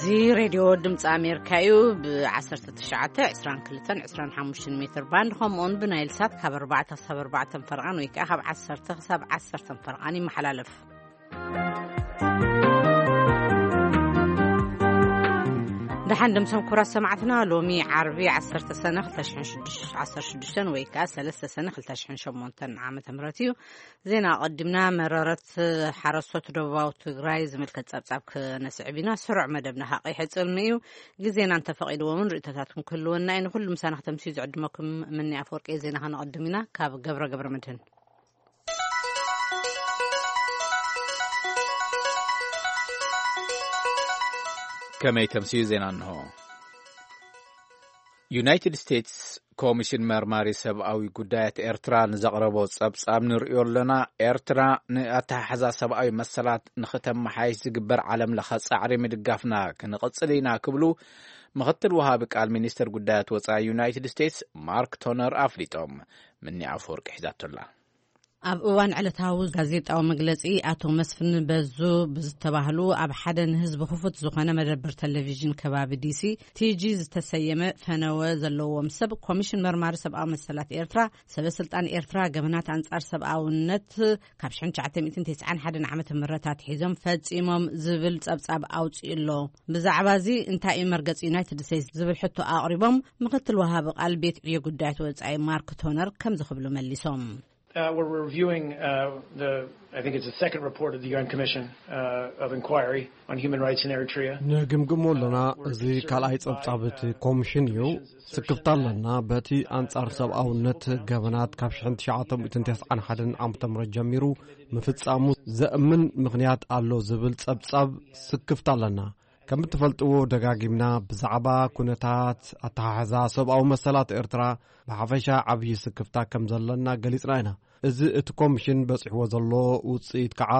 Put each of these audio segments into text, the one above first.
እዚ ሬድዮ ድምፂ ኣሜሪካ እዩ። ብ19፣ 22፣ 25 ሜትር ባንድ፣ ከምኡውን ብናይል ሳት ካብ ኣርባዕተ ክሳብ ኣርባዕተ ፈርቓን ወይ ከዓ ካብ ዓሰርተ ክሳብ ዓሰርተ ፈርቓን ይመሓላለፍ። ደሓን ድምሶም ክቡራት ሰማዕትና፣ ሎሚ ዓርቢ ዓሰርተ ሰነ ክልተ ሽሕን ሽዱሽተ፣ ዓሰርተ ሽዱሽተ ወይ ከዓ ሰለስተ ሰነ ክልተ ሽሕን ሸሞንተን ዓመተ ምህረት እዩ። ዜና ኣቐዲምና። መረረት ሓረስቶት ደቡባዊ ትግራይ ዝምልከት ጸብጻብ ክነስዕብ ኢና። ስሩዕ መደብና ከዓ ይሕጽር እዩ። ግዜና እንተፈቒድዎ እውን ርእይቶታትኩም ክህልወና እዩ። ንኹሉ ምሳና ክተምስዩ ዝዕድመኩም ምኒ ኣፈወርቂ። ዜና ከነቐድም ኢና ካብ ገብረ ገብረ መድህን። ከመይ ተምስዩ ዜና እንሆ። ዩናይትድ ስቴትስ ኮሚሽን መርማሪ ሰብኣዊ ጉዳያት ኤርትራ ንዘቕረቦ ጸብጻብ ንርእዮ ኣለና። ኤርትራ ንኣተሓሕዛ ሰብኣዊ መሰላት ንኽተመሓይሽ ዝግበር ዓለም ለኸ ጻዕሪ ምድጋፍና ክንቕጽል ኢና ክብሉ ምኽትል ወሃቢ ቃል ሚኒስትር ጉዳያት ወጻኢ ዩናይትድ ስቴትስ ማርክ ቶነር ኣፍሊጦም። ምኒ ኣፈወርቂ ሒዛቶላ። ኣብ እዋን ዕለታዊ ጋዜጣዊ መግለጺ፣ ኣቶ መስፍን በዙ ብዝተባህሉ ኣብ ሓደ ንህዝቢ ክፉት ዝኾነ መደብር ቴሌቪዥን ከባቢ ዲሲ ቲጂ ዝተሰየመ ፈነወ ዘለዎም ሰብ ኮሚሽን መርማሪ ሰብኣዊ መሰላት ኤርትራ፣ ሰበ ስልጣን ኤርትራ ገበናት ኣንጻር ሰብኣውነት ካብ ሽሕን ትሽዓተ ሚእትን ተስዓን ሓደን ዓመተ ምህረት ኣትሒዞም ፈጺሞም ዝብል ጸብጻብ ኣውጺኡ ኣሎ። ብዛዕባ እዚ እንታይ እዩ መርገጽ ዩናይትድ ስቴትስ ዝብል ሕቶ ኣቕሪቦም፣ ምክትል ወሃቢ ቃል ቤት ዕዮ ጉዳያት ወጻኢ ማርክ ቶነር ከምዚ ክብሉ መሊሶም። Uh, we're reviewing uh, the, I think it's the second report of the U N Commission uh, of Inquiry on Human Rights in Eritrea. ንግምግሞ ኣለና። እዚ ካልኣይ ጸብጻብ እቲ ኮሚሽን እዩ። ስክፍታ ኣለና በቲ ኣንጻር ሰብኣውነት ገበናት ካብ ሽሕን ትሽዓተ ሚእትን ተስዓን ሓደን ዓመተ ምህረት ጀሚሩ ምፍጻሙ ዘእምን ምኽንያት ኣሎ ዝብል ጸብጻብ ስክፍታ ኣለና። ከም እትፈልጥዎ፣ ደጋጊምና ብዛዕባ ኩነታት ኣተሓሕዛ ሰብኣዊ መሰላት ኤርትራ ብሓፈሻ ዓብዪ ስክፍታ ከም ዘለና ገሊጽና ኢና። እዚ እቲ ኮሚሽን በጺሕዎ ዘሎ ውጽኢት ከኣ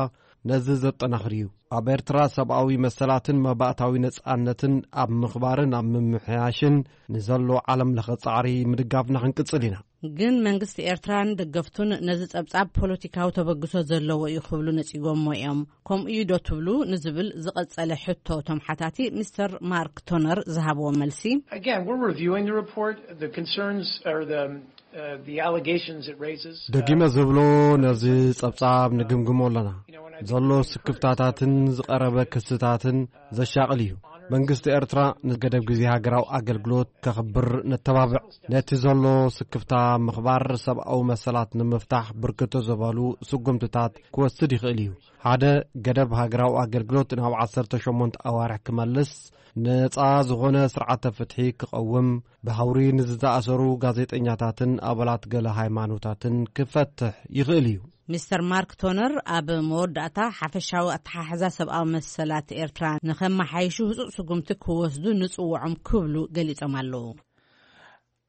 ነዚ ዘጠናኽር እዩ። ኣብ ኤርትራ ሰብኣዊ መሰላትን መባእታዊ ነጻነትን ኣብ ምኽባርን ኣብ ምምሕያሽን ንዘሎ ዓለም ለኸ ጻዕሪ ምድጋፍና ክንቅጽል ኢና። ግን መንግስቲ ኤርትራን ደገፍቱን ነዚ ጸብጻብ ፖለቲካዊ ተበግሶ ዘለዎ እዩ ክብሉ ነጺጎሞ እዮም። ከምኡ እዩ ዶ ትብሉ ንዝብል ዝቐጸለ ሕቶ እቶም ሓታቲ፣ ሚስተር ማርክ ቶነር ዝሃብዎ መልሲ። Again, we're reviewing the report. The concerns are the, uh, the allegations it raises. ደጊመ ዝብሎ፣ ነዚ ጸብጻብ ንግምግሞ ኣለና። ዘሎ ስክፍታታትን ዝቐረበ ክስታትን ዘሻቕል እዩ። መንግስቲ ኤርትራ ንገደብ ግዜ ሃገራዊ ኣገልግሎት ከኽብር ነተባብዕ። ነቲ ዘሎ ስክፍታ ምኽባር ሰብኣዊ መሰላት ንምፍታሕ ብርክት ዝበሉ ስጉምትታት ክወስድ ይኽእል እዩ። ሓደ፣ ገደብ ሃገራዊ ኣገልግሎት ናብ ዓሰርተ ሸሞንተ ኣዋርሕ ክመልስ፣ ነጻ ዝኾነ ስርዓተ ፍትሒ ክቐውም፣ ብሃውሪ ንዝተኣሰሩ ጋዜጠኛታትን ኣባላት ገለ ሃይማኖታትን ክፈትሕ ይኽእል እዩ። ሚስተር ማርክ ቶነር ኣብ መወዳእታ ሓፈሻዊ ኣተሓሕዛ ሰብኣዊ መሰላት ኤርትራ ንኸመሓይሹ ህጹጽ ስጉምቲ ክወስዱ ንጽውዖም ክብሉ ገሊጾም ኣለዉ።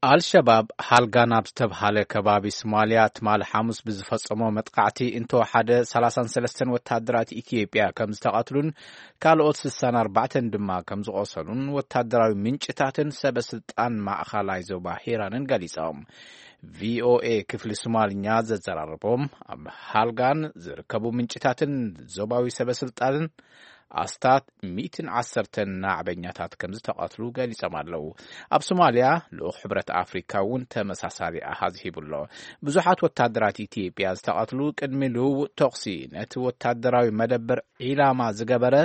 ኣልሸባብ ሃልጋን ኣብ ዝተብሃለ ከባቢ ሶማልያ ትማሊ ሓሙስ ብዝፈጸሞ መጥቃዕቲ እንተወሓደ ሰላሳን ሰለስተን ወታደራት ኢትዮጵያ ከም ዝተቐትሉን ካልኦት ስሳን ኣርባዕተን ድማ ከም ዝቖሰሉን ወታደራዊ ምንጭታትን ሰበ ስልጣን ማእኸላይ ዞባ ሂራንን ገሊጾም። ቪኦኤ ክፍሊ ሶማልኛ ዘዘራረቦም ኣብ ሃልጋን ዝርከቡ ምንጭታትን ዞባዊ ሰበ ስልጣንን ኣስታት ሚእትን ዓሰርተን ናዕበኛታት ከም ዝተቐትሉ ገሊጾም ኣለዉ። ኣብ ሶማልያ ልኡኽ ሕብረት ኣፍሪካ እውን ተመሳሳሊ ኣሃዝ ሂቡ ኣሎ። ብዙሓት ወታደራት ኢትዮጵያ ዝተቐትሉ ቅድሚ ልውውጥ ተኹሲ ነቲ ወታደራዊ መደበር ዒላማ ዝገበረ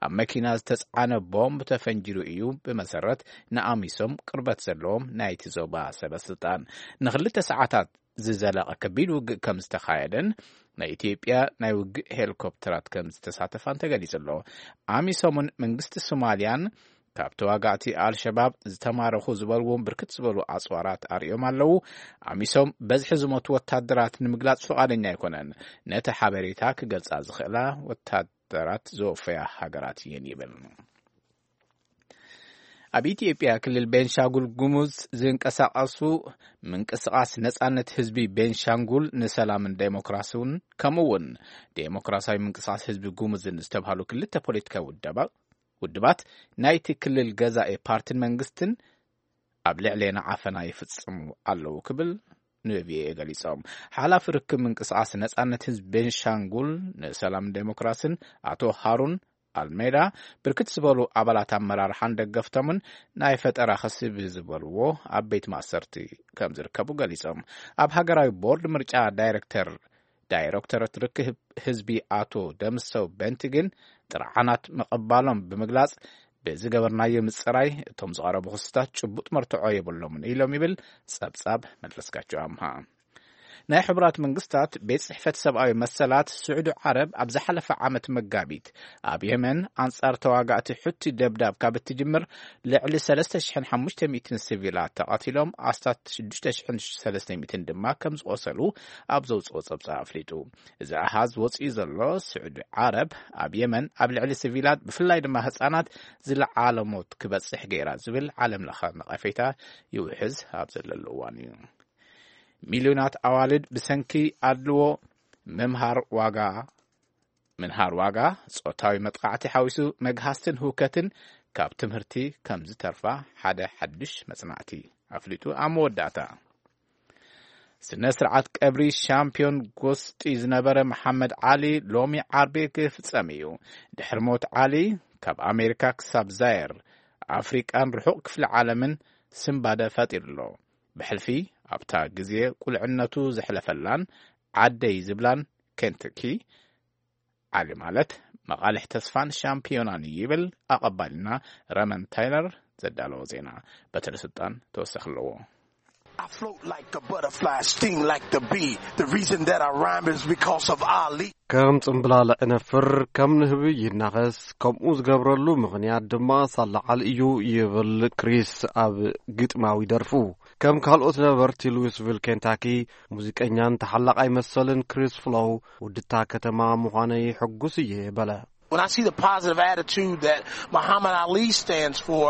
ኣብ መኪና ዝተጻዕነ ቦምብ ተፈንጂሩ እዩ፣ ብመሰረት ንኣሚሶም ቅርበት ዘለዎም ናይቲ ዞባ ሰበ ስልጣን። ንክልተ ሰዓታት ዝዘለቐ ከቢድ ውግእ ከም ዝተኻየደን ናይ ኢትዮጵያ ናይ ውግእ ሄሊኮፕተራት ከም ዝተሳተፋን ተገሊጹ ኣሎ። ኣሚሶምን መንግስቲ ሶማልያን ካብ ተዋጋእቲ ኣልሸባብ ዝተማረኹ ዝበልዎም ብርክት ዝበሉ ኣጽዋራት ኣርእዮም ኣለዉ። ኣሚሶም በዝሒ ዝሞቱ ወታደራት ንምግላጽ ፍቓደኛ ኣይኮነን። ነቲ ሓበሬታ ክገልጻ ዝኽእላ ወታደራት ዘወፈያ ሃገራት እየን ይብል። ኣብ ኢትዮጵያ ክልል ቤንሻንጉል ጉሙዝ ዝንቀሳቐሱ ምንቅስቓስ ነጻነት ህዝቢ ቤንሻንጉል ንሰላምን ዴሞክራሲውን ከምኡ እውን ዴሞክራሲያዊ ምንቅስቓስ ህዝቢ ጉሙዝን ዝተብሃሉ ክልተ ፖለቲካዊ ውደባ-፣ ውድባት ናይቲ ክልል ገዛኢ ፓርቲን መንግስትን ኣብ ልዕሌና ዓፈና ይፍጽሙ ኣለዉ ክብል ንቪኦኤ ገሊጾም። ሓላፊ ርክብ ምንቅስቓስ ነጻነት ህዝቢ ቤንሻንጉል ንሰላምን ዴሞክራሲን ኣቶ ሃሩን ኣልሜዳ ብርክት ዝበሉ ኣባላት ኣመራርሓን ደገፍቶምን ናይ ፈጠራ ክሲ ብዝበልዎ ኣብ ቤት ማእሰርቲ ከም ዝርከቡ ገሊጾም። ኣብ ሃገራዊ ቦርድ ምርጫ ዳይሬክተር ዳይሬክቶሬት ርክብ ህዝቢ ኣቶ ደምሰው በንቲ ግን ጥርዓናት ምቕባሎም ብምግላጽ፣ ብዝገበርናዮ ምጽራይ እቶም ዝቐረቡ ክስታት ጭቡጥ መርትዖ የብሎምን ኢሎም ይብል ጸብጻብ መለስካቸው ኣምሃ። ናይ ሕቡራት መንግስታት ቤት ጽሕፈት ሰብኣዊ መሰላት፣ ስዑዲ ዓረብ ኣብ ዝሓለፈ ዓመት መጋቢት ኣብ የመን ኣንጻር ተዋጋእቲ ሑቲ ደብዳብ ካብ እትጅምር፣ ልዕሊ ሰለስተ ሽሕን ሓሙሽተ ሚእትን ሲቪላት ተቐቲሎም፣ ኣስታት ሽዱሽተ ሽሕን ሰለስተ ሚእትን ድማ ከም ዝቖሰሉ ኣብ ዘውጽኦ ጸብጻብ ኣፍሊጡ። እዚ ኣሃዝ ወጺኡ ዘሎ፣ ስዑዲ ዓረብ ኣብ የመን ኣብ ልዕሊ ሲቪላት፣ ብፍላይ ድማ ህጻናት፣ ዝለዓለ ሞት ክበጽሕ ገይራ ዝብል ዓለም ለኸ ነቐፌታ ይውሕዝ ኣብ ዘለሉ እዋን እዩ። ሚልዮናት ኣዋልድ ብሰንኪ ኣድልዎ፣ ምምሃር ዋጋ ምንሃር ዋጋ፣ ጾታዊ መጥቃዕቲ ሓዊሱ መግሃስትን ህውከትን ካብ ትምህርቲ ከም ዝተርፋ ሓደ ሓድሽ መጽናዕቲ ኣፍሊጡ። ኣብ መወዳእታ፣ ስነ ስርዓት ቀብሪ ሻምፒዮን ጎስጢ ዝነበረ መሓመድ ዓሊ ሎሚ ዓርቢ ክፍጸም እዩ። ድሕሪ ሞት ዓሊ፣ ካብ ኣሜሪካ ክሳብ ዛየር፣ ኣፍሪቃን ርሑቕ ክፍሊ ዓለምን ስንባደ ፈጢሩ ኣሎ። ብሕልፊ ኣብታ ግዜ ቁልዕነቱ ዘሕለፈላን ዓደይ ዝብላን ኬንተኪ፣ ዓሊ ማለት መቓልሕ ተስፋን ሻምፒዮናን እዩ ይብል ኣቐባልና ረመን ታይለር ዘዳለዎ ዜና። በትረ ስልጣን ተወሳኺ ኣለዎ። I float like a butterfly, sting like the bee. The reason that I rhyme is because of Ali. ከም ጽምብላል ዕነፍር፣ ከም ንህቢ ይናኸስ፣ ከምኡ ዝገብረሉ ምኽንያት ድማ ሳላ ዓሊ እዩ ይብል ክሪስ ኣብ ግጥማዊ ደርፉ። ከም ካልኦት ነበርቲ ሉዊስቪል ኬንታኪ፣ ሙዚቀኛን ተሓላቓይ መሰልን ክሪስ ፍሎው፣ ውድታ ከተማ ምዃነይ ሕጉስ እየ በለ። When I see the positive attitude that Muhammad Ali stands for,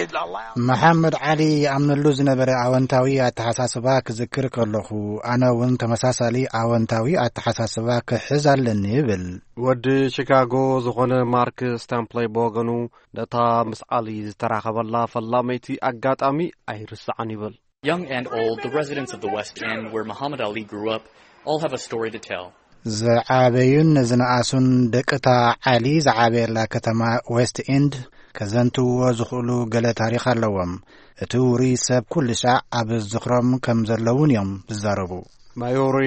it allows መሓመድ ዓሊ ይኣምነሉ ዝነበረ ኣወንታዊ ኣተሓሳስባ ክዝክር ከለኹ፣ ኣነ እውን ተመሳሳሊ ኣወንታዊ ኣተሓሳስባ ክሕዝ ኣለኒ ይብል። ወዲ ሺካጎ ዝኾነ ማርክ ስታምፕለይ ብወገኑ፣ ነታ ምስ ዓሊ ዝተራኸበላ ፈላመይቲ ኣጋጣሚ ኣይርስዓን ይብል። Young and old, the residents of the West End, where Muhammad Ali grew up, all have a story to tell. ዝዓበዩን ዝነኣሱን ደቅታ ዓሊ ዝዓበየላ ከተማ ዌስት ኤንድ ከዘንትውዎ ዝኽእሉ ገለ ታሪኽ ኣለዎም። እቲ ውሩይ ሰብ ኩሉ ሻዕ ኣብ ዝኽሮም ከም ዘለውን እዮም ዝዛረቡ። ማዮሪ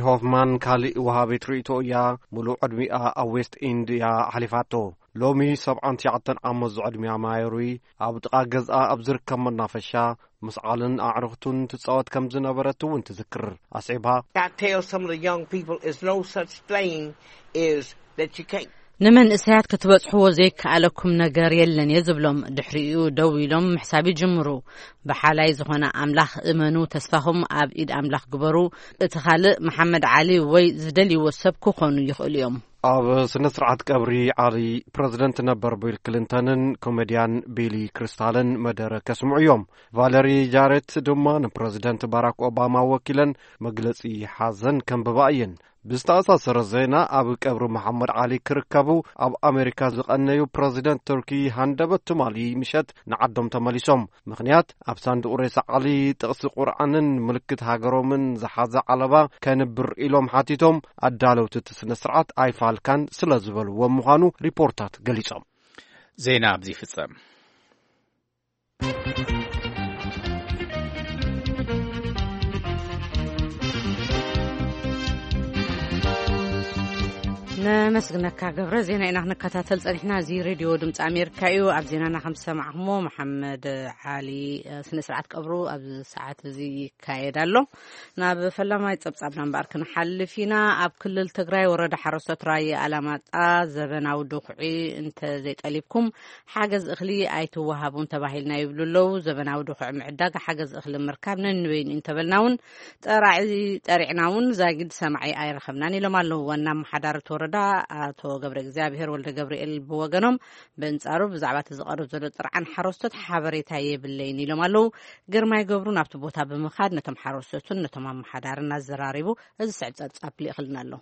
ሆፍማን ካልእ ወሃቢት ርእይቶ እያ። ሙሉእ ዕድሚኣ ኣብ ዌስት ኤንድ እያ ኣሕሊፋቶ። ሎሚ ሰብዓን ትሽዓተን ዓመት ዝዕድሚያ ማዮሪ ኣብ ጥቓ ገዝኣ ኣብ ዝርከብ መናፈሻ ምስ ዓልን ኣዕሩኽቱን ትጻወት ከም ዝነበረት እውን ትዝክር። ኣስዒባ፣ I tell some of the young people, it's no such thing is that you can't. ንመንእሰያት ክትበጽሕዎ ዘይከኣለኩም ነገር የለን እየ ዝብሎም። ድሕሪኡ ደው ኢሎም ምሕሳብ ይጅምሩ። ብሓላይ ዝኾነ ኣምላኽ እመኑ፣ ተስፋኹም ኣብ ኢድ ኣምላኽ ግበሩ። እቲ ካልእ መሓመድ ዓሊ ወይ ዝደልይዎ ሰብ ክኾኑ ይኽእሉ እዮም። ኣብ ስነ ስርዓት ቀብሪ ዓሊ፣ ፕረዚደንት ነበር ቢል ክሊንተንን ኮሜድያን ቢሊ ክሪስታልን መደረ ከስምዑ እዮም። ቫለሪ ጃሬት ድማ ንፕረዚደንት ባራክ ኦባማ ወኪለን መግለጺ ሓዘን ከንብባ እየን። ብዝተኣሳሰረ ዜና፣ ኣብ ቀብሪ መሓመድ ዓሊ ክርከቡ ኣብ ኣሜሪካ ዝቐነዩ ፕረዚደንት ቱርኪ ሃንደበት ትማሊ ምሸት ንዓዶም ተመሊሶም። ምኽንያት፣ ኣብ ሳንዱቕ ሬሳ ዓሊ ጥቕሲ ቁርኣንን ምልክት ሃገሮምን ዝሓዘ ዓለባ ከንብር ኢሎም ሓቲቶም፣ ኣዳለውቲ እቲ ስነ ስርዓት ኣይፋልካን ስለ ዝበልዎም ምዃኑ ሪፖርታት ገሊጾም። ዜና ኣብዚ ይፍጸም። ነመስግነካ ገብረ። ዜና ኢና ክንከታተል ጸኒሕና። እዚ ሬድዮ ድምፂ ኣሜሪካ እዩ። ኣብ ዜናና ከም ዝሰማዕኩሞ፣ መሓመድ ዓሊ፣ እ፣ ስነ ስርዓት ቀብሩ ኣብዚ ሰዓት እዚ ይካየድ ኣሎ። ናብ ፈላማይ ጸብጻብና እምበኣር ክንሓልፍ ኢና። ኣብ ክልል ትግራይ ወረዳ ሓረስቶት ራያ ኣላማጣ ዘበናዊ ድኹዒ እንተ ዘይጠሊብኩም ሓገዝ እኽሊ ኣይትወሃቡን ተባሂልና ይብሉ ኣለዉ። ዘበናዊ ድኹዒ ምዕዳግ ሓገዝ እኽሊ ምርካብ ነንበይኑ እዩ እንተበልና እውን፣ ጠራዒ ጠሪዕና እውን ዛጊድ ሰማዒ ኣይረኸብናን ኢሎም ኣለዉ። ዋና ኣመሓዳሪ እቲ ወረዳ ኣቶ ገብረ እግዚኣብሔር ወልደ ገብርኤል ብወገኖም፣ በንጻሩ ብዛዕባ እቲ ዝቐርብ ዘሎ ጥርዓን ሓረስቶት ሓበሬታ የብለይን ኢሎም ኣለዉ። ግርማይ ገብሩ ናብቲ ቦታ ብምኻድ ነቶም ሓረስቶትን ነቶም ኣመሓዳርን ኣዘራሪቡ፣ እዚ ስዕብ ጸብጻብ ልኢኽልና ኣሎ።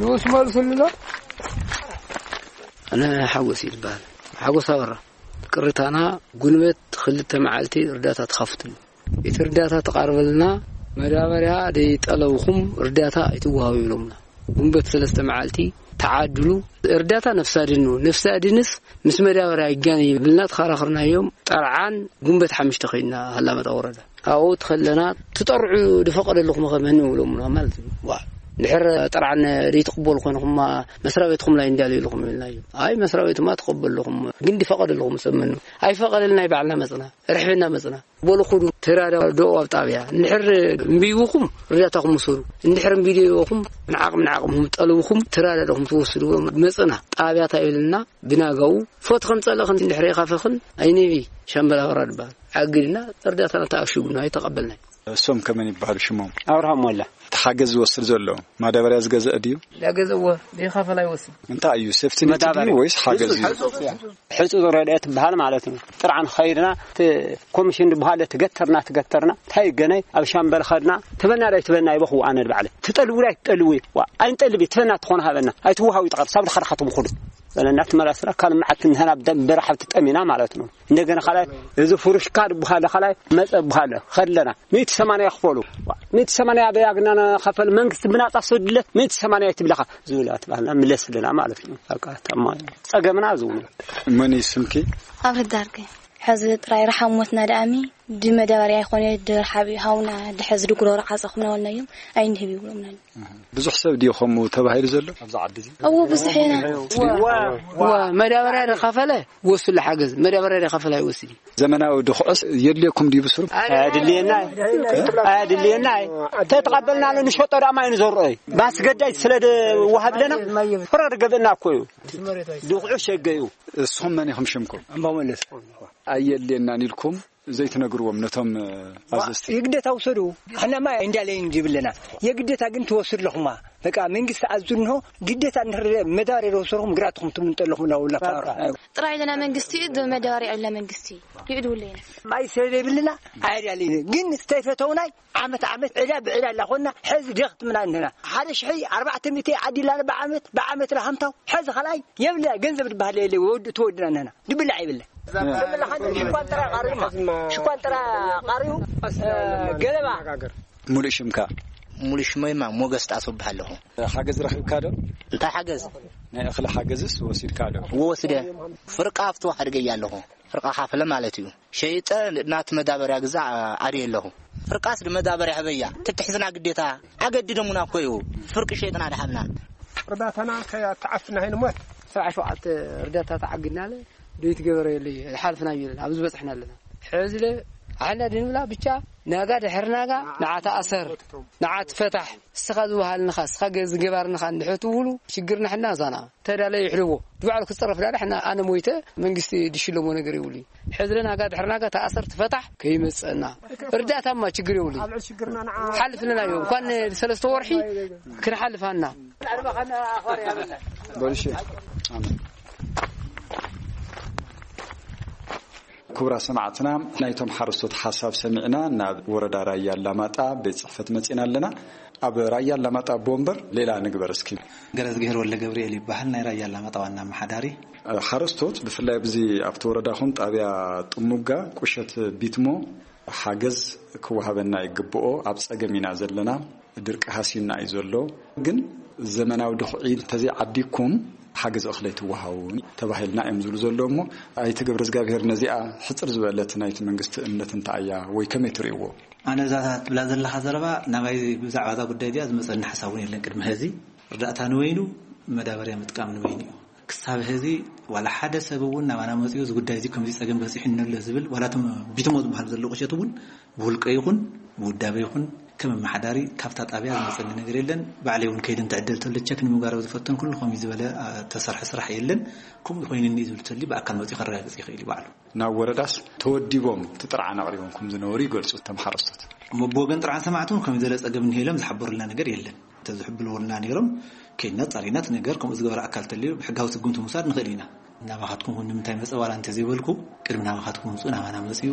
ንኡስ መልስሉ። ኣነ ሓጎስ ይበሃል። ሓጎስ ኣበራ። ቅርታና ጉንበት ክልተ መዓልቲ እርዳታ ትኸፍትሉ። እቲ እርዳታ ተቓርበልና መዳበርያ ደይጠለብኹም እርዳታ ኣይትወሃቡ ይብሎምና። ጉንበት ሰለስተ መዓልቲ ተዓድሉ። እርዳታ ነፍሲ ኣድን ነው። ነፍሲ ኣድንስ ምስ መዳበርያ ይጋነ ይብልና ተኸራኽርናዮም። ጠርዓን ጉንበት ሓምሽተ ከይድና ሃላመጣ ወረዳ ኣብኡ ትኸለና ትጠርዑ ዝፈቐደልኹም ኸመን ይብሎምና ማለት እዩ። ዋ፣ ድሕር ጠርዓን ዘይትቕበሉ ኮይንኹማ መስሪያ ቤትኹም ላይ እንዳልዩ ኢልኹም ኢልናዮ። ኣይ መስሪያ ቤትማ ትቐበልኹም ግን ዝፈቐደልኹም ሰመኑ ኣይፈቐደልና ባዕልና መፅና። ርሕብና መፅና። በሉ ኹዱ ተራዳድኡ ኣብ ጣብያ። እንድሕር እምቢ ይብኹም ርዳታኹም ውሰዱ። እንድሕር እምቢ ደይበኹም ንዓቕም ንዓቕምኹም ጠልብኹም ተራዳድኹም ትወስዱ። መፅና ጣብያ እንታይ ይብልና ብናጋኡ ፎት ከም ፀለኽን እንድሕር የኻፈኽን ኣይነቢ ሻምበል ኣበራ ድበሃል። ኣግድና እርዳታና ተኣሽጉና ኣይተቐበልናይ። እሶም ከመን ይበሃሉ ሽሞም? ኣብርሃም ሞላ። እቲ ሓገዝ ዝወስድ ዘሎ ማዳበርያ ዝገዝአ ድዩ? ዳገዘዎ ደይኻፈል ኣይወስድ። እንታይ እዩ ሴፍቲ ኔት ድዩ መዳበርያ። ወይስ ሓገዝ እዩ? ሕጹ ረድኤት ትበሃል ማለት ነው። ጥርዓን ኸይድና እቲ ኮሚሽን ዝበሃለ ትገተርና ትገተርና እንታይ ገነይ ኣብ ሻምበል ኸድና ትበና ዳይ ትበና ይበኹ ኣነ ባዕለ ትጠልቡ ዳይ ትጠልቡ ዋ ኣይንጠልቢ ትበና ትኾነ ሃበና ኣይትወሃዊ ጠቐር ሳብ ድኻ ድኻ ትምኹዱ በለና ትመላስና ካልእ መዓት ንህና ብደም በረሓብ ትጠሚና ማለት ነው። እንደገና ኻላይ እዚ ፍሩሽካ ዝበሃለ ኻላይ መጸ በሃለ ኸድለና ሚእቲ ሰማንያ ክፈሉ። ሚእቲ ሰማንያ በይ ኣግና ንኸፈል መንግስቲ ብናጻ ሰዱለት ሚእቲ ሰማንያ ትብለኻ ዝብላት ባህልና ምለስልና ማለት እዩ። በቃ ተማ ጸገምና ዝብሉ። መን እዩ ስምኪ? ኣብርህ ዳርገ። ሕዚ ጥራይ ረሓብ ሞትና ደኣሚ ድመዳበርያ ይኾነ ድርሓብ ሃውና ድሐዚ ድጉሮሮ ዓጸኹምና ወልናዮም ኣይንህብ ይብሎምና። ብዙሕ ሰብ ድዩ ከምኡ ተባሂሉ ዘሎ ኣብዚ ዓዲ እዚ? እዎ ብዙሕ ኢና። ዋ መዳበርያ ደኻፈለ ወስሉ ሓገዝ መዳበርያ ደኻፈለ ኣይወስድ እዩ። ዘመናዊ ድኹዕስ የድልየኩም ድዩ ብስሩ? ኣድልየና ኣድልየና ተተቐበልና ኣሎ ንሸጦ ዳማ እዩ ንዘርኦ እዩ ባስገዳይ ስለ ድወሃብ ለና ፍረ ድገብእና እኮ እዩ። ድኹዑ ሸገዩ። እስኹም መን ኢኹም ሽምኩም? ኣምባው መለስ። ኣየድልየናን ኢልኩም ዘይትነግርዎም ነቶም ኣዘዝቲ? ይግደታ ውሰዱ። ሕናማ እንዳለይ እንዲብለና የግደታ ግን ትወስድ ኣለኹማ። በቃ መንግስቲ ኣዙ እንሆ ግደታ እንድሕር መዳበርያ ወሰድኹም ግራትኹም ትምንጠ ኣለኹም ላውላ ጥራይ ለና መንግስቲ እዩ መዳበርያ የለ መንግስቲ ይዕድውለይና። ማይ ስለ ዘይብልና ኣያድያለይነ ግን ዝተይፈተውናይ ዓመት ዓመት ዕዳ ብዕዳ እናኾንና ሕዚ ደኽትምና እንህና ሓደ ሽሒ ኣርባዕተ ሚእቲ ዓዲላና ብዓመት ብዓመት ላ ሃምታው ሕዚ ኻልኣይ የብልና ገንዘብ ዝበሃል የለ ወድ ተወድና እንህና ድብላዕ የብልና። ሽኳን ጥራ ቃሪማ ሽኳን ጥራ ቃሪኡ ገለባ ሙሉእ ሽምካ? ሙሉእ ሽመይማ ሞገስ ጣሰው እበሃል ኣለኹ። ሓገዝ ረኺብካ ዶ? እንታይ ሓገዝ? ናይ እኽሊ ሓገዝስ ወሲድካ ዶ? ወስደ። ፍርቃ ኣብቲ ሓድገያ ኣለኹ። ፍርቃ ካፍለ ማለት እዩ። ሸይጠ ናቲ መዳበርያ ግዛዕ ኣድየ ኣለኹ። ፍርቃስ ንመዳበርያ ህበያ ትትሕዝና ግዴታ ኣገድደሙና እኮ እዩ። ፍርቂ ሸይጥና ድሃብና። እርዳታና ከይተዓፍና ሃይንሞት። ሰብዓ ሸውዓተ እርዳታ ተዓግድናለ። ደይትገበረ የለ ሓልፍና ይለን ኣብዚ በፅሕና ኣለና። ሕዝለ ኣሕና ድንብላ ብቻ ናጋ ድሕር ናጋ ንዓ ተኣሰር ንዓ ትፈታሕ እስኻ ዝበሃልንኻ እስኻ ገ- ዝገባርንኻ እንድሕር ትውሉ ሽግርና ሕና ዛና ተዳለ ይሕልዎ ድባዕሉ ክፀረፍ ዳዳ ሕና ኣነ ሞይተ መንግስቲ ድሽለሞ ነገር ይብሉ። ሕዝለ ናጋ ድሕር ናጋ ተኣሰር ትፈታሕ ከይመፀና እርዳታማ ችግር የብሉ። ሓልፍልና እዮም እንኳን ሰለስተ ወርሒ ክንሓልፋና በልሽ ኣሜን። ክቡራት ሰማዕትና ናይቶም ሓረስቶት ሓሳብ ሰሚዕና ናብ ወረዳ ራያ ኣላማጣ ቤት ፅሕፈት መፂና ኣለና። ኣብ ራያ ኣላማጣ ኣቦ ወንበር ሌላ ንግበር እስኪ። ገረዝግሄር ወልደ ገብርኤል ይበሃል ናይ ራያ ኣላማጣ ዋና ኣመሓዳሪ። ሓረስቶት ብፍላይ ኣብዚ ኣብቲ ወረዳኹም ጣብያ ጥሙጋ ቁሸት ቢትሞ ሓገዝ ክወሃበና ይግብኦ ኣብ ፀገም ኢና ዘለና። ድርቂ ሃሲና እዩ ዘሎ። ግን ዘመናዊ ድኹዒ እንተዘይዓዲግኩም ሓገዝ እኽሊ ኣይትወሃቡን ተባሂልና እዮም ዝብሉ ዘለዉ እሞ ኣይተ ገብረ እግዚኣብሔር ነዚኣ ሕፅር ዝበለት ናይቲ መንግስቲ እምነት እንታይ እያ ወይ ከመይ ትርእይዎ? ኣነ እዛ ትብላ ዘለኻ ዘረባ ናባይ ብዛዕባ እዛ ጉዳይ እዚኣ ዝመፀኒ ሓሳብ እውን የለን። ቅድሚ ሕዚ ርዳእታ ንበይኑ መዳበርያ ምጥቃም ንበይኑ እዩ። ክሳብ ሕዚ ዋላ ሓደ ሰብ እውን ናባና መፂኡ እዚ ጉዳይ እዚ ከምዚ ፀገም በፂሑ ኣሎ ዝብል ዋላ እቶም ቢትሞ ዝበሃል ዘሎ ቁሸት እውን ብውልቀ ይኹን ብውዳበ ይኹን ከም ኣመሓዳሪ ካብታ ጣብያ ዝመፀኒ ነገር የለን። ባዕለይ እውን ከይደ እንትዕደል ተሎ ቸክ ንምግባር ኣብ ዝፈተንኩሉ ከምኡ ዝበለ ተሰርሐ ስራሕ የለን። ከምኡ ኮይኑ እኒ ዝብል ተልዩ ብኣካል መፂኡ ከረጋግፅ ይኽእል እዩ ባዕሉ። ናብ ወረዳስ ተወዲቦም እቲ ጥርዓን ኣቕሪቦም ከም ዝነበሩ ይገልፁ እቶም ሓረስቶት። እሞ ብወገን ጥርዓን ሰማዕቲ እውን ከምኡ ዝበለ ፀገም እኒሀ ኢሎም ዝሓበሩልና ነገር የለን። እንተዝሕብርልና ነይሮም ከይድና ኣፃሪና እቲ ነገር ከምኡ ዝገበረ ኣካል ተልዩ ብሕጋዊ ስጉምቲ ምውሳድ ንኽእል ኢና። ናባኻትኩም እውን ንምንታይ መፀ ዋላ እንተዘይበልኩ ቅድሚ ናባኻትኩም ምምፅኡ ናባና መፅኡ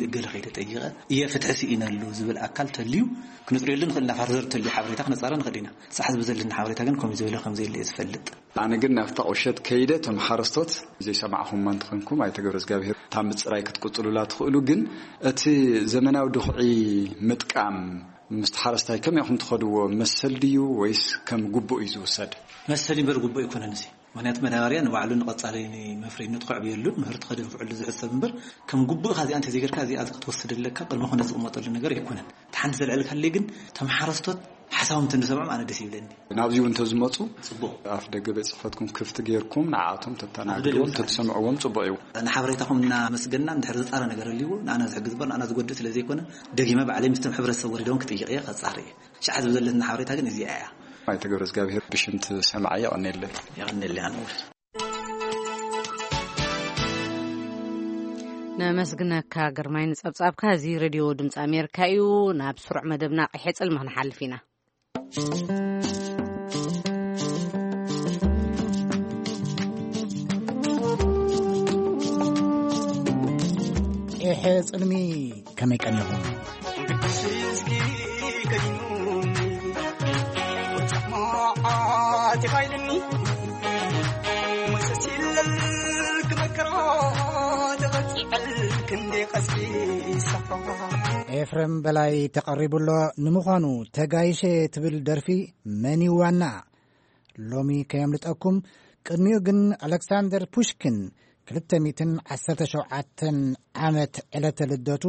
እገለ ከይደ ጠይቐ እየ ፍትሒ ስኢነሉ ዝብል ኣካል ተልዩ ክነፅርየሉ ንኽእል ኢና። ፋርዘር ተልዩ ሓበሬታ ክነፃረ ንኽእል ኢና። ንሳሕ ዝበዘለኒ ሓበሬታ ግን ከምኡ ዝበለ ከምዘየለ እየ ዝፈልጥ። ኣነ ግን ናብታ ቁሸት ከይደ እቶም ሓረስቶት ዘይሰማዕኹምማ እንተኾንኩም ኣይተ ገብረ እግዚኣብሔር እታ ምፅራይ ክትቅፅሉላ ትኽእሉ ግን እቲ ዘመናዊ ድኹዒ ምጥቃም ምስቲ ሓረስታይ ከመይ ኢኹም ትኸድዎ? መሰል ድዩ ወይስ ከም ግቡእ እዩ ዝውሰድ? መሰል እምበር ግቡእ ኣይኮነን እዚ። ምኽንያቱ መዳበርያ ንባዕሉ ንቐጻሊ መፍረይነቱ ከዕብየሉን ምህርቲ ከድንፍዐሉ ዝሕሰብ እምበር፣ ከም ግቡእ እዚኣ እንተዘይገርካ እዚኣ ክትወስድ ኣለካ ቅድመ ኩነት ዝቕመጠሉ ነገር ኣይኮነን። እቲ ሓንቲ ዘልዕልካለይ ግን፣ እቶም ሓረስቶት ሓሳቦም እንተንሰምዖም ኣነ ደስ ይብለኒ። ናብዚ እውን እንተዝመፁ፣ ጽቡቕ። ኣፍ ደገ ቤት ጽሕፈትኩም ክፍቲ ጌርኩም ንዓኣቶም ተተናግድዎም፣ ኣፍ ደገ ቤት ጽሕፈት። ተትሰምዕዎም ጽቡቕ እዩ። ንሓበሬታኹም እናመስገንና፣ እንድሕር ዝጻረ ነገር ኣልይዎ ንኣና ዝሕግዝ እምበር ንኣና ዝጎድእ ስለ ዘይኮነ፣ ደጊመ ባዕለይ ምስቶም ሕብረተሰብ ወሪዶም ክጥይቕ እየ፣ ከጻሪ እየ። ሸዓ ዝብል ዘለትና ሓበሬታ ግን እዚኣ እያ። ኣይተ ገብረ እግዚኣብሔር ብሽምቲ ሰማዓይ የቐንየለይ። የቐንየለይ ኣነ እውን። ነመስግነካ ግርማይ ንጸብጻብካ። እዚ ሬድዮ ድምፂ ኣሜሪካ እዩ። ናብ ስሩዕ መደብና ቀይሕ ጽልሚ ክንሓልፍ ኢና። ቀይሕ ጽልሚ ከመይ ቀኒኹም? ኤፍሬም በላይ ተቐሪቡ ኣሎ። ንምዃኑ ተጋይሸ ትብል ደርፊ መን እዩ ዋና? ሎሚ ከየምልጠኩም። ቅድሚኡ ግን ኣሌክሳንደር ፑሽኪን ክልተ ሚእትን ዓሰርተ ሸውዓተን ዓመት ዕለተ ልደቱ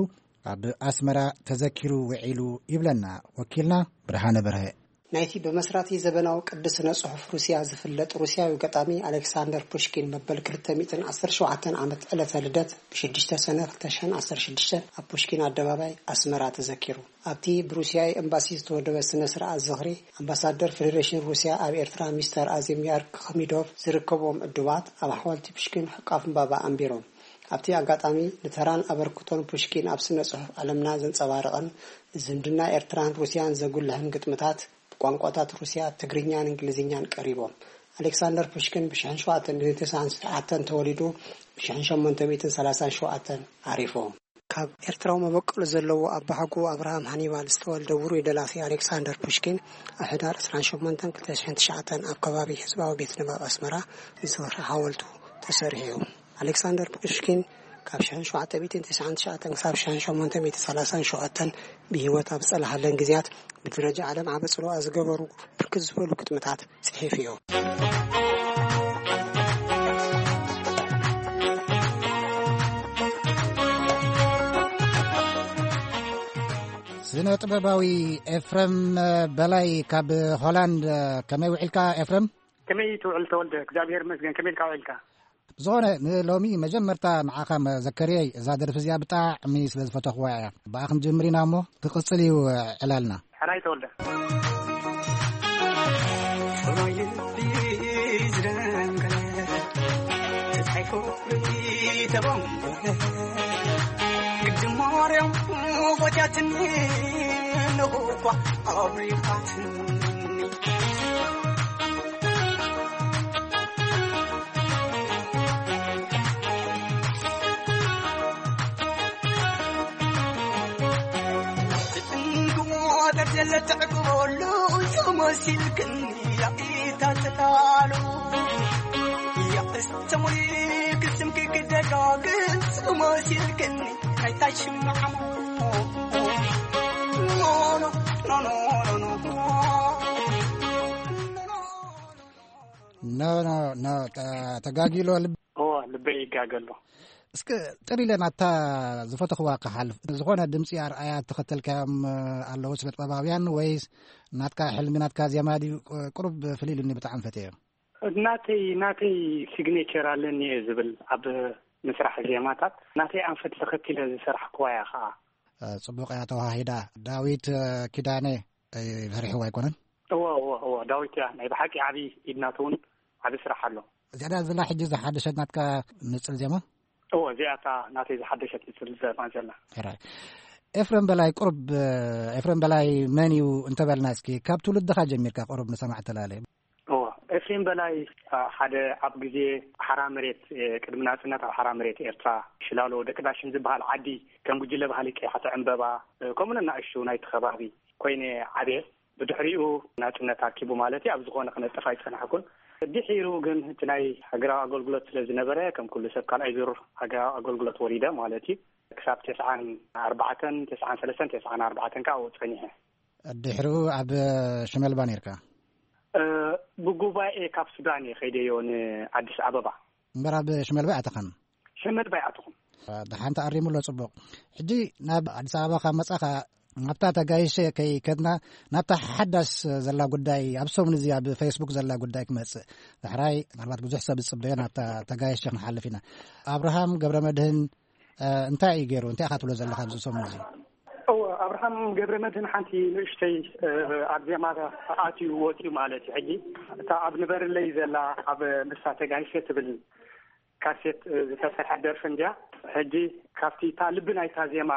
ኣብ ኣስመራ ተዘኪሩ ውዒሉ ይብለና ወኪልና ብርሃነ በርሀ። ናይቲ ብመስራቲ ዘበናዊ ቅዲ ስነ ጽሑፍ ሩስያ ዝፍለጥ ሩስያዊ ገጣሚ ኣሌክሳንደር ፑሽኪን መበል ክልተ ሚእትን ዓሰርተ ሸውዓተን ዓመት ዕለተ ልደት ብሽዱሽተ ሰነ ክልተ ሽሕን ዓሰርተ ሽዱሽተን ኣብ ፑሽኪን ኣደባባይ ኣስመራ ተዘኪሩ። ኣብቲ ብሩስያዊ ኤምባሲ ዝተወደበ ስነ ስርዓት ዝኽሪ፣ ኣምባሳደር ፌደሬሽን ሩስያ ኣብ ኤርትራ ሚስተር ኣዜሚያር ክሚዶቭ ዝርከብዎም ዕዱማት ኣብ ሓወልቲ ፑሽኪን ሕቃፍ ዕምባባ ኣንቢሮም። ኣብቲ ኣጋጣሚ ንተራን ኣበርክቶን ፑሽኪን ኣብ ስነ ጽሑፍ ዓለምና ዘንጸባረቐን ዝምድና ኤርትራን ሩስያን ዘጉልሕን ግጥምታት ብቋንቋታት ሩስያ፣ ትግርኛን እንግሊዝኛን ቀሪቦም። ኣሌክሳንደር ፑሽኪን ብሽሕን ሸውዓተን ሚእትን ተስዓን ሸውዓተን ተወሊዱ ብሽሕን ሸሞንተ ሚእትን ሰላሳን ሸውዓተን ዓሪፉ። ካብ ኤርትራዊ መበቆል ዘለዎ ኣባሓጎኡ ኣብርሃም ሃኒባል ዝተወልደ ውሩይ ደራሲ ኣሌክሳንደር ፑሽኪን፣ ኣብ ሕዳር ዕስራን ሸሞንተን ክልተ ሽሕን ትሽዓተን ኣብ ከባቢ ህዝባዊ ቤት ንባብ ኣስመራ ዝኽሪ ሓወልቱ ተሰሪሑ እዩ። ኣሌክሳንደር ፑሽኪን ካብ ሽሕን ሸውዓተ ሚእትን ተስዓን ትሽዓተን ክሳብ ሽሕን ሸሞንተ ሚእትን ሰላሳን ሸውዓተን ብህይወት ኣብ ዝጸንሓለን ግዜያት፣ ብደረጃ ዓለም ዓቢ ጽልዋ ዝገበሩ ብርክት ዝበሉ ግጥምታት ጽሒፉ እዩ። ስነ ጥበባዊ ኤፍረም በላይ ካብ ሆላንድ፣ ከመይ ውዒልካ ኤፍረም? ከመይ ትውዕል ተወልደ? እግዚኣብሔር ይመስገን። ከመይ ኢልካ ውዒልካ? ብዝኾነ ንሎሚ መጀመርታ ንዓኻ መዘከርየይ እዛ ደርፊ እዚኣ ብጣዕሚ ስለ ዝፈተኽዋ እያ። ብኣ ክንጅምር ኢና እሞ ክቕጽል እዩ ዕላልና። ሕራይ ተወልደ። ኖ ኖ ኖ፣ ተጋጊሎ። ልበይ ይጋገሎ። እስከ ጥር ኢለ ናታ ዝፈተኽዋ ክሓልፍ፣ ዝኾነ ድምፂ ኣርኣያ እተኸተልካዮም ኣለዉ ስነ ጥበባውያን፣ ወይስ ናትካ ሕልሚ ናትካ ዜማ ድዩ? ቁሩብ ፍልይ ኢሉኒ፣ ብጣዕሚ ፈትየዮ። ናተይ ናተይ ሲግኔቸር ኣለኒ እየ ዝብል ኣብ ምስራሕ ዜማታት ናተይ ኣንፈት ተኸቲለ ዝሰራሕክዋ እያ ከዓ። ጽቡቕ እያ ተዋሂዳ። ዳዊት ኪዳነ ፈሪሕዋ ኣይኮነን? እዎ እዎ እዎ፣ ዳዊት እያ ናይ ብሓቂ ዓብዪ ኢድናት እውን ዓብዪ ስራሕ ኣሎ። እዚኣ ዘላ ሕጂ ዝሓደሸት ናትካ ንጽል ዜማ? እዎ፣ እዚኣ እታ ናተይ ዝሓደሸት ንጽል ዜማ ዘላ። ሕራይ። ኤፍረም በላይ ቁርብ፣ ኤፍረም በላይ መን እዩ እንተበልና እስኪ ካብ ትውልድኻ ጀሚርካ ቁርብ ንሰማዕ ተላለ። እዎ፣ ኤፍሬም በላይ ሓደ ኣብ ግዜ ሓራ መሬት፣ ቅድሚ ናጽነት ኣብ ሓራ መሬት ኤርትራ ሽላሎ ደቂ ዳሽን ዝበሃል ዓዲ ከም ጉጅለ ባህሊ ቀይሓተ ዕምበባ ከምኡ ነናእሽቱ ናይቲ ከባቢ ኮይነ ዓብየ። ብድሕሪኡ ናጽነት ኣኪቡ ማለት እዩ፣ ኣብ ዝኾነ ክነጥፍ ኣይጸናሕኩን። ድሒሩ ግን እቲ ናይ ሃገራዊ ኣገልግሎት ስለ ዝነበረ ከም ኩሉ ሰብ ካልኣይ ዙር ሃገራዊ ኣገልግሎት ወሪደ ማለት እዩ። ክሳብ ተስዓን ኣርባዕተን፣ ተስዓን ሰለስተን፣ ተስዓን ኣርባዕተን ከኣ ኣብኡ ጸኒሐ። ድሕሪኡ ኣብ ሽመልባ ነርካ? እ፣ ብጉባኤ ካብ ሱዳን እየ ከይደዮ ንኣዲስ ኣበባ። እምበር ኣብ ሽመልባ ኣይኣተኻን? ሽመልባ ኣይኣተኹን። ደሓን ተኣሪሙ ኣሎ፣ ጽቡቕ። ሕጂ ናብ ኣዲስ ኣበባ ካብ መጻኻ፣ ናብታ ተጋይሸ ከይከድና፣ ናብታ ሓዳስ ዘላ ጉዳይ፣ ኣብ ሰሙን እዚ ኣብ ፌስቡክ ዘላ ጉዳይ ክመጽእ። ዳሕራይ ምናልባት ብዙሕ ሰብ ዝጽበዮ ናብታ ተጋይሸ ክንሓልፍ ኢና። ኣብርሃም ገብረ መድህን፣ እ፣ እንታይ እዩ ገይሩ? እንታይ ኢኻ ትብሎ ዘለኻ ኣብዚ ሰሙን እዚ? እወ፣ ኣብርሃም ገብረ መድህን ሓንቲ ንእሽተይ፣ እ፣ ኣብ ዜማ ኣትዩ ወፂኡ ማለት እዩ። ሕጂ እታ ኣብ ንበርለይ ዘላ ኣብ ንሳ ተጋይሸ ትብል ካሴት፣ እ፣ ዝተሰርሐት ደርፊ እንድያ። ሕጂ ካብቲ እታ ልቢ ናይታ ዜማ፣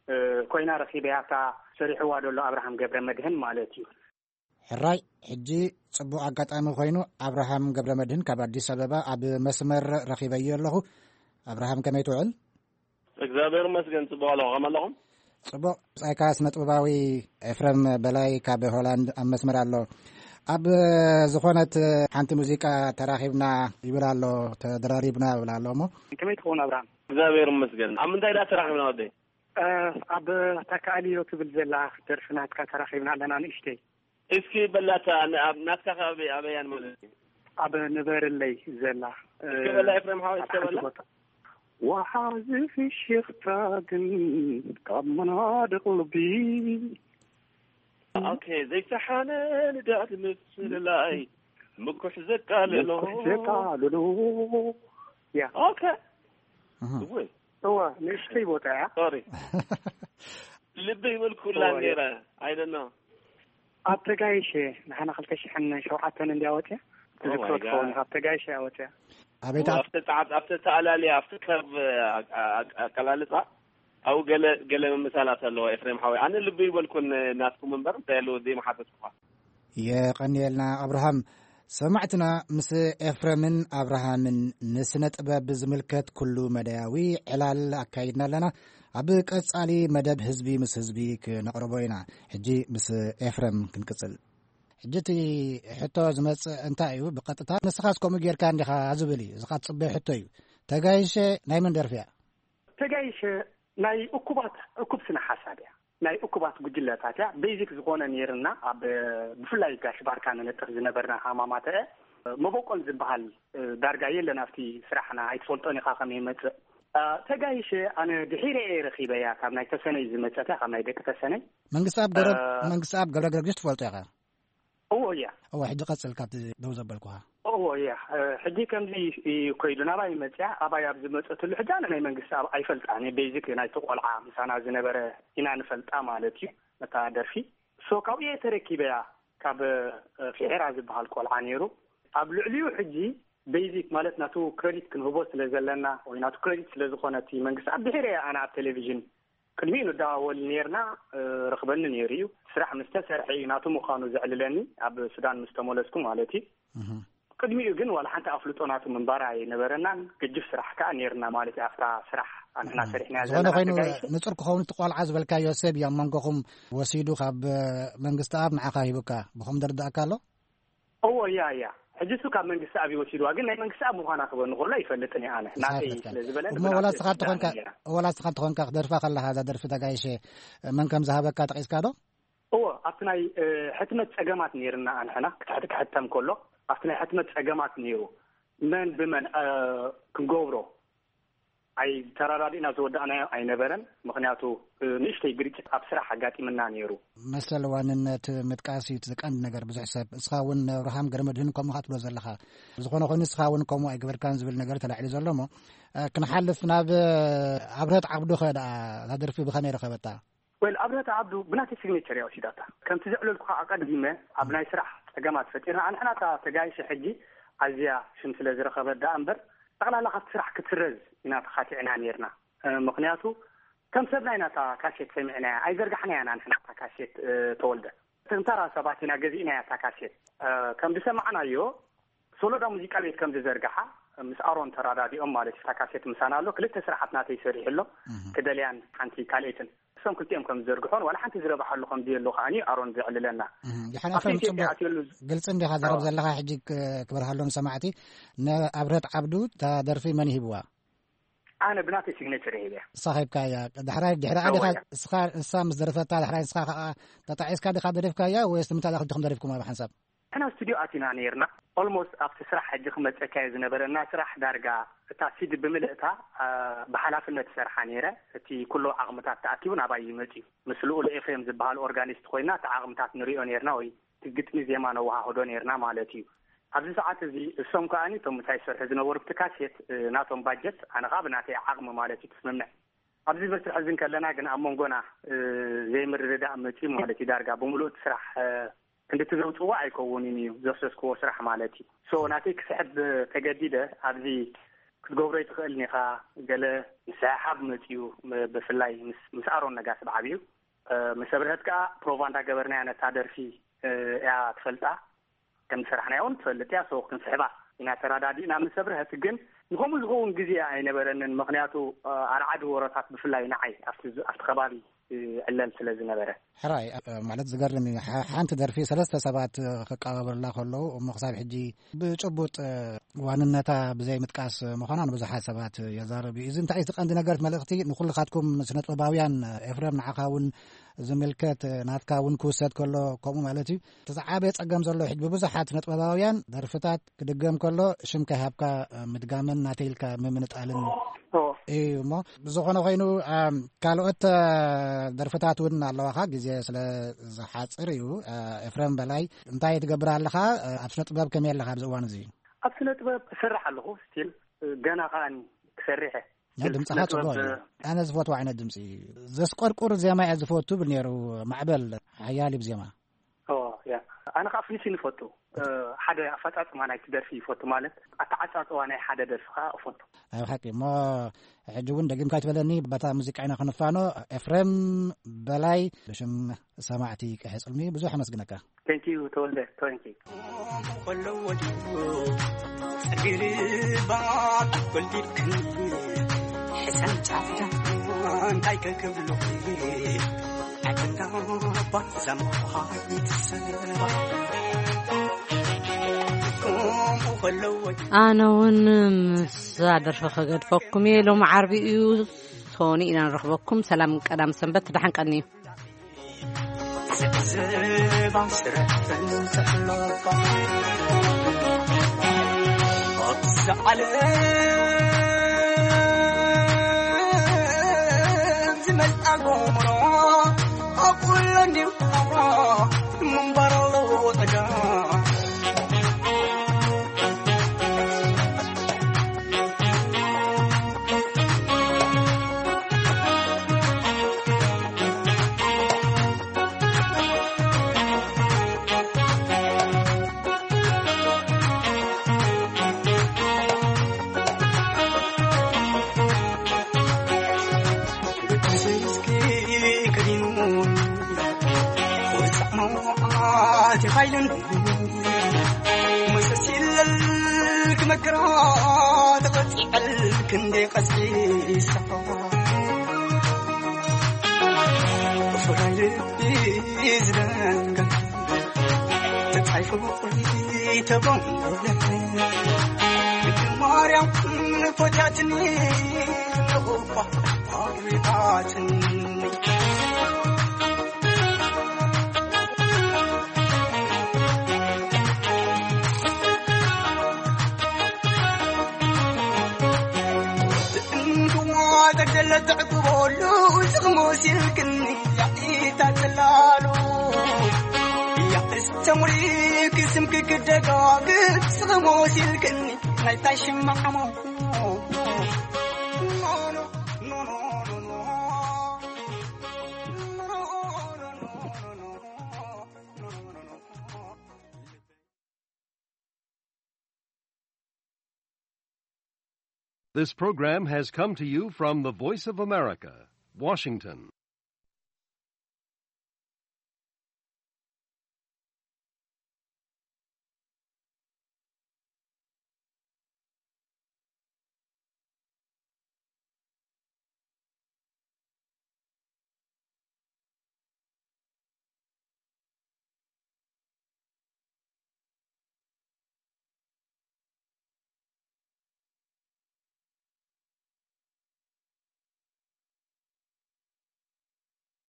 እ፣ ኮይና ረኺበያ እታ ሰሪሕዋ ዘሎ ኣብርሃም ገብረ መድህን ማለት እዩ። ሕራይ፣ ሕጂ ጽቡቕ ኣጋጣሚ ኮይኑ ኣብርሃም ገብረ መድህን ካብ ኣዲስ ኣበባ ኣብ መስመር ረኺበዮ ኣለኹ። ኣብርሃም፣ ከመይ ትውዕል? እግዚኣብሔር ይመስገን፣ ጽቡቕ ኣለኹ። ከመይ ኣለኹም? ጽቡቕ። ብጻይካ ስነ ጥበባዊ ኤፍረም በላይ ካብ ሆላንድ ኣብ መስመር ኣሎ። ኣብ ዝኾነት ሓንቲ ሙዚቃ ተራኺብና ይብል ኣሎ፣ ተደራሪብና ይብል ኣሎ እሞ። ከመይ ትኸውን ኣብርሃም? እግዚኣብሔር ይመስገን። ኣብ ምንታይ ደኣ ተራኺብና ወደይ? እ፣ ኣብ ተካእልዮ ትብል ዘላ ደርፊ ናትካ ተራኺብና ኣለና ንእሽተይ። እስኪ በላታ፣ ን-፣ ኣብ ናትካ ከባቢ ኣበያን ማለት እዩ? ኣብ ንበርለይ ዘላ፣ እስኪ በላ ኤፍሬም ሓወይ፣ እስኪ ኣብ ሓንቲ በላ። ቦታ። ወሓዚ ፍሽኽታ ግን ካብ መናድቕ ልቢ። ኦኬ፣ ዘይተሓነ ንዳድ ምፍልላይ ምኩሕ ዘቃልሎ። ምኩሕ ዘቃልሎ። ያ። ኦኬ። እህ። እወ። እወ፣ ንእሽተይ ቦታ እያ። ሶሪ። ልቢ ይበልኩላ እወ፣ ነይረ። I don't know። ኣብ ተጋይሸ ንሓና ክልተ ሽሕን ሸውዓተን እንድያ ወፅያ። Oh my ትዝክሮ ትኸውን፣ God። ካብ ተጋይሸ እያ ወፅያ። ኣቤት፣ እወ፣ ኣብ ኣብቲ ጻዕት-፣ ኣብቲ ተኣላልያ፣ ኣብቲ ከርቭ፣ ኣ-፣ ኣ-፣ ኣቀላልጻ፣ ኣብኡ ገለ፣ ገለ ምምሳላት ኣለዎ፣ ኤፍሬም ሓወይ። ኣነ ልቢ ይበልኩን ናትኩም እምበር፣ እንታይ ኣለዎ፣ ዘይምሓተትኩኻ። የቐንየልና ኣብርሃም። ሰማዕትና ምስ ኤፍረምን ኣብርሃምን ንስነ ጥበብ ዝምልከት ኩሉ መዳያዊ ዕላል ኣካይድና ኣለና። ኣብ ቀጻሊ መደብ ህዝቢ ምስ ህዝቢ ክነቕርቦ ኢና። ሕጂ ምስ ኤፍረም ክንቅጽል። ሕጂ እቲ ሕቶ ዝመጽእ እንታይ እዩ? ብቐጥታ ንስኻስ ከምኡ ጌርካ እንዲኻ ዝብል እዩ። እዚ ኻትጽበዮ ሕቶ እዩ። ተጋይሸ ናይ መን ደርፊ እያ? ተጋይሸ ናይ እኩባት፣ እኩብ ስነ ሓሳብ እያ። ናይ እኩባት ጉጅለታት እያ። ቤዚክ ዝኾነ ነይርና፣ ኣብ፣ ብፍላይ ጋሽ ባርካ ንነጥፍ ዝነበርና ሃማማተ እያ። መበቆል ዝበሃል፣ እ፣ ዳርጋ የለን ኣብቲ ስራሕና፣ ኣይትፈልጦን ኢኻ ከመይ ይመጽእ። እ፣ ተጋይሸ ኣነ ድሒረ እየ ረኺበያ፣ ካብ ናይ ተሰነይ ዝመጸት እያ፣ ካብ ናይ ደቂ ተሰነይ። መንግስቲ ኣብ ገብረ-፣ እ፣ መንግስቲ ኣብ ገብረ ገርግሽ ትፈልጦ ኢኻ? እዎ፣ እያ። እዎ፣ ሕጂ ቀጽል ካብቲ ደው ዘበልኩኻ። እዎ፣ እያ። እ፣ ሕጂ ከምዚ እዩ ኮይዱ፣ ናባይ መጽያ፣ ኣባይ ኣብ ዝመጸትሉ ሕጂ ኣነ ናይ መንግስቲ ኣብ ኣይፈልጣን እየ። ቤዚክ ናይቲ ቆልዓ ምሳና ዝነበረ ኢና ንፈልጣ ማለት እዩ፣ ነታ ደርፊ። ሶ ካብኡ እየ ተረኪበያ፣ ካብ፣ እ፣ ፊዔራ ዝበሃል ቆልዓ ነይሩ። ኣብ ልዕሊኡ ሕጂ ቤዚክ ማለት ናቱ ክረዲት ክንህቦ ስለ ዘለና፣ ወይ ናቱ ክረዲት ስለ ዝኾነ እቲ መንግስቲ ኣብ ድሒረ እየ ኣነ ኣብ ቴሌቪዥን ቅድሚኡ ንደዋወል ነይርና፣ እ፣ ረኽበኒ ነይሩ እዩ። ስራሕ ምስ ተሰርሐ እዩ ናቱ ምዃኑ ዘዕልለኒ፣ ኣብ ሱዳን ምስ ተመለስኩ ማለት እዩ። እህ። ቅድሚኡ ግን ዋላ ሓንቲ ኣፍልጦ ናቱ ምንባር ኣይነበረናን፣ ግጅፍ ስራሕ ከኣ ነይርና ማለት እዩ። ኣብታ ስራሕ ኣንሕና እህ። ሰሪሕናያ ዝኾነ ዘለና ኮይኑ ተጋይሹ። ንጹር ክኸውን እቲ ቆልዓ ዝበልካዮ ሰብ እዩ ኣብ መንጎኹም ወሲዱ ካብ፣ እ፣ መንግስቲ ኣብ ንዓኻ ሂቡካ፣ ብኸም ደርዳእካ ኣሎ? እዎ፣ እያ፣ እያ። ሕጂ እሱ ካብ መንግስቲ ኣብ ይወሲድዋ፣ ግን ናይ መንግስቲ ኣብ ምዃና ክበኒ ከሎ ኣይፈልጥን እየ ኣነ። ናተይ ኣይፈልጥን። ስለ ዝበለኒ እሞ ብናተይ ወላ ንስኻ ስልጣን እንተኾንካ፣ እያ። ወላ ንስኻ እንተኾንካ ክደርፋ ከለኻ፣ እዛ ደርፊ ተጋይሸ መን ከም ዝሃበካ ጠቒስካ ዶ? እዎ፣ ኣብቲ ናይ፣ እ፣ ሕትመት ጸገማት ነይርና ኣንሕና፣ ክትሕት-፣ ክሕተም ከሎ፣ ኣብቲ ናይ ሕትመት ጸገማት ነይሩ። መን ብመን፣ እ፣ ክንገብሮ? ኣይተረዳዲእና ዝወዳእናዮ ኣይነበረን። ምኽንያቱ፣ እ፣ ንእሽተይ ግርጭት ኣብ ስራሕ ኣጋጢምና ነይሩ። መሰል ዋንነት ምጥቃስ እዩ እቲ ቀንዲ ነገር። ብዙሕ ሰብ፣ ንስኻ እውን ኣብርሃም ገረመድህን ከምኡ ኢኻ ትብሎ ዘለኻ። ዝኾነ ኮይኑ ንስኻ እውን ከምኡ ኣይገበርካን ዝብል ነገር ተላዒሉ ዘሎ እሞ፣ እ፣ ክንሓልፍ ናብ፣ እ፣ ኣብርሀት ዓብዱ ኸ ደኣ እታ ደርፊ ብኸመይ ረኸበታ? ወል ኣብረታ ዓብዱ ብናተይ ሲግኔቸር እያ ወሲዳታ። ከምቲ ዘዕለልኩኻ ኣቐዲመ ኣብ ናይ ስራሕ ጸገማት ፈጢርና። ኣንሕና እታ ተጋይሸ ሕጂ ኣዝያ ሽም ስለ ዝረኸበት ደኣ እምበር፣ ጠቕላላ ካብቲ ስራሕ ክትስረዝ ኢና ተኻቲዕና ነይርና። እ፣ ምኽንያቱ ከም ሰብና ኢና እታ ካሴት ሰሚዕናያ፣ ኣይዘርጋሕናያን ኣንሕና እታ ካሴት፣ እ፣ ተወልደ። እቶም ተራ ሰባት ኢና ገዚእናያ እታ ካሴት። እ፣ ከም ዝሰማዕናዮ ሶሎዳ ሙዚቃ ቤት ከም ዝዘርግሓ ምስ ኣሮን ተራዳዲኦም ማለት እዩ። እታ ካሴት ምሳና ኣሎ። ክልተ ስራሓት ናተይ ሰሪሑ ኣሎ። እህ። ክደልያን ሓንቲ ካልኤትን። እሶም ክልቲኦም ከም ዝዘርግሖን ዋላ ሓንቲ ዝረብሓሉ ከም ዘየሎ ከኣኒ ኣሮን ዘዕልለና። እህ። ድሓን ኣብቲ ኤፍሬም፣ ኢትዮጵያ ጽቡቕ ኣትየሉ ዝ-፣ ግልጺ እንዲኻ ዘረብ ኣዎ። ዘለኻ። ሕጂ ክ-፣ ክበርሃሎም ሰማዕቲ፣ ንኣብረት ዓብዱ እታ ደርፊ መን ይሂብዋ? ኣነ ብናተይ ሲግነቸር ሂበያ። ንስኻ ሂብካያ። ዳሕራይ ድሕሪ እዋ ዓዲኻ እያ። ንስኻ፣ ንሳ ምስ ደረፈታ ዳሕራይ ንስኻ ከኣ ተጣዒስካ ዲኻ ደሪፍካያ ወይስ ንምንታይ ዳኹም ዲኹም ደሪፍኩማ ብሓንሳብ? ንሕና ስቱዲዮ ኣቲና ነይርና። ኦልሞስት ኣብቲ ስራሕ ሕጂ ክመፀካ እየ ዝነበረና ስራሕ ዳርጋ እታ ሲዲ ብምልእታ፣ አ፣ ብሓላፍነት ይሰርሓ ነይረ። እቲ ኩሉ ዓቕምታት ተኣኪቡ ናባይ ይመፅዩ። ምስ ልኡል ኤፍሬም ዝበሃል ኦርጋኒስት ኮይና እቲ ዓቕምታት ንሪኦ ነይርና ወይ እቲ ግጥሚ ዜማ ነወሃህዶ ነይርና ማለት እዩ። ኣብዚ ሰዓት እዚ እሶም ከኣኒ እቶም ምሳይ ዝሰርሑ ዝነበሩ ብቲ ካሴት፣ እ፣ ናቶም ባጀት ኣነ ከዓ ብናተይ ዓቕሚ ማለት እዩ ትስምምዕ። ኣብዚ መስርሕ እዚ እንከለና ግን ኣብ መንጎና፣ እ፣ ዘይምርድዳእ መፅዩ ማለት እዩ። ዳርጋ ብምሉእ እቲ ስራሕ፣ እ፣ ክንድቲ ዘውፅዎ ኣይከውንን እዩ ዘፍሰስክዎ ስራሕ ማለት እዩ። ሶ ናተይ ክስሕብ ተገዲደ። ኣብዚ ክትገብሮ ይትኽእል ኒኻ፣ ገለ ምስሕሓብ መፅዩ፣ ብ-፣ ብፍላይ ምስ፣ ምስ ኣሮን ነጋሲ ብዓብዩ፣ እ፣ ምስ ኣብርሀት ከዓ ፕሮቫ እንዳገበርናያ ነታ ደርፊ፣ እ፣ እያ ትፈልጣ። ከም ዝሰራሕናዮ እውን ትፈልጥ እያ። ሶ ክንስሕባ ኢና ተረዳዲእና ምስ ኣብርሀት። ግን ንኸምኡ ዝኸውን ግዜ ኣይነበረንን። ምኽንያቱ፣ እ፣ ኣርዓዲ ወረታት ብፍላይ ንዓይ ኣብቲ ዝ-፣ ኣብቲ ከባቢ፣ እ፣ ዕለል ስለ ዝነበረ። ሕራይ፣ እ፣ ማለት ዝገርም እዩ። ሓ-፣ ሓንቲ ደርፊ ሰለስተ ሰባት፣ እ፣ ክቀባበሉላ ከለዉ እሞ ክሳብ ሕጂ ብጭቡጥ፣ እ፣ ዋንነታ ብዘይ ምጥቃስ ምዃና ንብዙሓት ሰባት የዛርብ እዩ። እዚ እንታይ እዩ እቲ ቀንዲ ነገር፣ እቲ መልእኽቲ ንኹልኻትኩም ስነ ጥበባውያን፣ እ፣ ኤፍሬም ንዓኻ እውን ዝምልከት፣ እ፣ ናትካ እውን ክውሰድ ከሎ ከምኡ ማለት እዩ። እቲ ዝዓበየ ጸገም ዘሎ ሕጂ ብብዙሓት ስነ ጥበባውያን ደርፍታት ክድገም ከሎ ሽም ከይሃብካ፣ እ፣ ምድጋምን ናተይ ኢልካ ምምንጣልን ኦ። እዩ እሞ ብዝኾነ ኮይኑ፣ ኣም፣ ካልኦት፣ እ፣ ደርፍታት እውን ኣለዋኻ፣ ግዜ ስለ ዝሓጽር እዩ። እ፣ ኤፍሬም በላይ እንታይ ትገብር ኣለኻ? እ፣ ኣብ ስነ ጥበብ ከመይ ኣለኻ ኣብዚ እዋን እዚ? ኣብ ስነ ጥበብ እሰርሕ ኣለኹ፣ ስቲል፣ እ፣ ገና ከኣ ክሰርሕ እየ። ናይ ድምፅኻ ስነ ጥበብ፣ ጽቡቕ እዩ። ኣነ ዝፈትዎ ዓይነት ድምፂ እዩ። ዘስቆርቁር ዜማ እየ ዝፈቱ ብል ነይሩ ማዕበል ሓያል እዩ ብዜማ። ኦ፣ ያ። ኣነ ከዓ ፍኒሽን ይፈቱ። እ፣ ሓደ ኣፈጻጽማ ናይቲ ደርፊ ይፈቱ፣ ማለት ኣተዓጻጽዋ ናይ ሓደ ደርፊ ከዓ እፈቱ። ናይ ብሓቂ እሞ ሕጂ እውን ደጊምካ ይትበለኒ፣ በታ ሙዚቃ ኢና ክንፋኖ። ኤፍሬም በላይ ብሽም ሰማዕቲ ቀይሕ ጽልሚ ብዙሕ ኣመስግነካ። ቴንክ ዩ ተወልደ፣ ቴንክ ዩ። ኣነ እውን ምስዛ ደርፊ ከገድፈኩም እየ። ሎም ዓርቢ እዩ፣ ሶኒ ኢና ንረኽበኩም። ሰላም ቀዳም ሰንበት፣ ደሓን ቀንዩ። This program has come to you from the Voice of America, Washington.